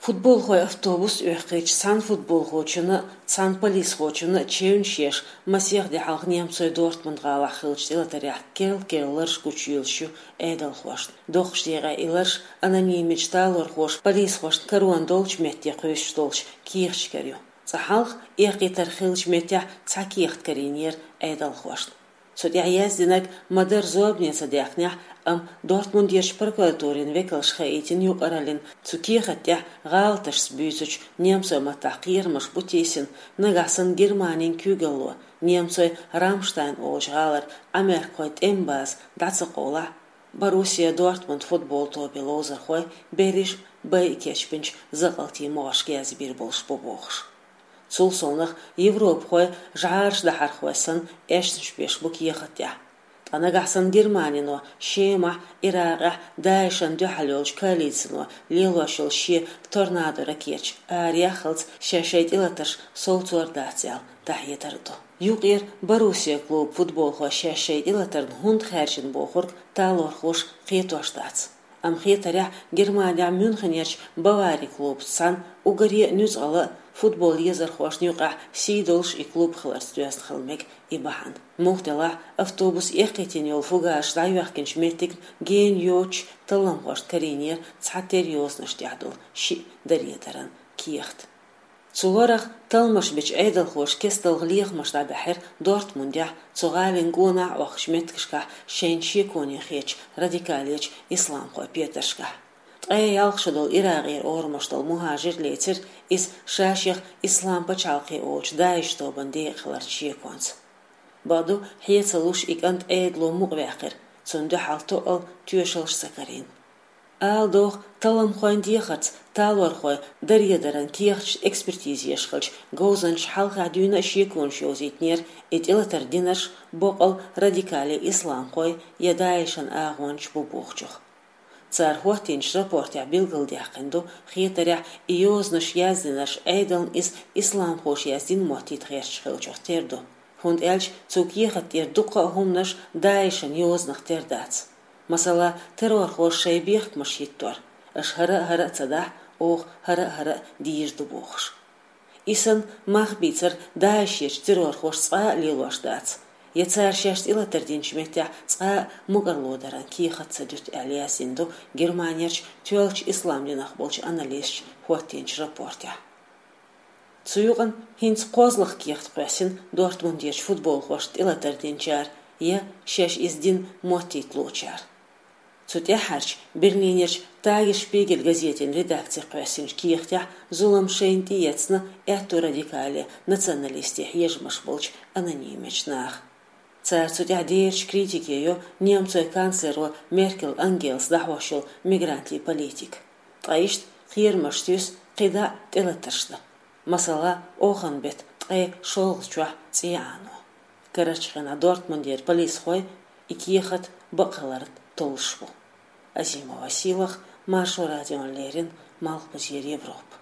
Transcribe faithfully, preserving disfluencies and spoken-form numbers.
Футболхой автобус оьхкийча цхьана футболхочунна, цхьана полисхочунна чевнаш еш, масех ди хьалха немцойн Дортмунд-гӀалахь хиллача тӀелатарехь керла-керла лараш гучуйолуш ю Ӏедалхошна. Доккхачу декъехь и лараш анонимичу талорхоша полисхошна карон долчу метте кхуьйсуш долчу кехаташкара ю. Цкъа хьалха, эккхийтар хиллачу меттехь цхьа кехат карийнера Ӏедалхошна. Цу тӀехь яздинарг ма-дарра зорбане ца даьккхинехь, амма Дортмундерчу прокуратурин векалша хаийтина юкъараллин, цу кехат тӀехь гӀалаташца буьйцучу немцойн маттахь кхерамаш бу тийсина, нагахь санна Германин куьйгалло немцойн Рамштайн олучу гӀалара Ӏамеркахойн тӀеман база дӀа ца къовлахь, Боруссия Дортмунд футбол тобин ловзархой берриш а байа кечбинчу закъалтийн могӀаршка язбийр болуш бу бохуш. Цул совнаха европахой жӀараш дахьархой санна эшнаш беш бу кехат тӀехь. Ткъа нагахь санна Германино Шемахь, Иракъехь ДАИШан дуьхьал йолчу коалицино лелош йолу шен «Торнадо» ракеташ араяххалц шаьш шайн тӀелатарш совцор дац аьлла, дӀахьедар а ду. Юкъара Боруссия клубан футболхой шаьш шайн тӀелатарна хӀунда хаьржина бохург талорхоша кхетош дац. Амма хетарехь, Германехь Мюнхенерчу «Бавари» клубаца цхьаьна уггаре а нуьцкъала а, футбол езархошна юкъахь сий долуш и клуб хиларца доьзна хила мега и бахьана. Муха делахь, автобус эккхийтина йолу фугасаш дӀайоьхкинчу меттигна гена йоцучу талламхошна карийнера цхьатерра йозанаш тӀехь долу шиъ даредаран кехат. Цу лорах талламаш бечу Ӏедалхоша кесталгӀа лехамаш дӀабаьхьира Дортмундехь, цу гӀалин гонах а охкучу меттигашкахь шайна шеконе хетачу радикалечу исламхойн петаршкахь. Ткъе ялх шо долу Иракъера орамаш долу мухӀажир лецира иза, ша-шех Ислам пачхьалкхе олучу ДАИШ тобанан декъа хиларца шеконца. Бакъду, хье ца луш, и кӀант Ӏедало мукъаваьккхира, цунна дуьхьал тоъал тоьшаллаш ца карийна. Ала догӀу, талламхойн дехарца талорхойн даредаран кехаташна экспертиза еш хилча, говзанчаша хьалхахь дуьйна а шеконаш йовзийтинера, и тӀелатар динарш боккъал радикале исламхойн я ДАИШан агӀончаш бу бохучух. Цара хӀоттийначу рапортехь билгалдаьккхина ду, хетарехь, и йозанаш яздинарш Ӏедална иза исламхоша яздина моттийта гӀерташ хиллачух тера ду. ХӀунда аьлча цу кехат тӀера дуккха а хӀуманаш ДАИШан йозанах тера дац. Масала, террорхоша шайн бехкамаш хӀиттор: «Аша хӀара а хӀара а ца дахь, оха хӀара а хӀара а дийр ду», бохуш. И санна мах бийцар ДАИШерчу террорхоша цкъа а лелош дац, я цара шаьш тӀелатар динчу меттехь цкъа а мукӀарло даран кехат ца дуьту аьлла яздина ду Германерчу тоьллачу ислам динах болчу аналисташа хӀоттийначу рапортехь. Цу юкъана хӀинца кхозлагӀа кехат кхоьссина Дортмундерчу футболхошна тӀелатар динчара я шаьш иза дина моттийта луучара. Цу тӀаьххьарчу Берлинерчу «Тагесшпигель» газетин редакци кхоьссинчу кехатехь зулам шайна тӀеэцна аьтту радикале, националисте хьежамаш болчу анонимичу наха. Цара цу тӀехь дерачу критике йо немцойн канцлеро Меркель Ангелас дӀахьош йолу мигрантийн политика. Ткъа иштта кхерамаш туьйсу кхидӀа а тӀелатарш дан. Масала, оханан беттан ткъе шолгӀачохь цӀе Ӏано. Карарчу хенахь Дортмундера полисхой и кехат бакъ хиларна толлуш бу. Азимова Сийлаха, Маршо радиона леррина, Малхбузера Европа.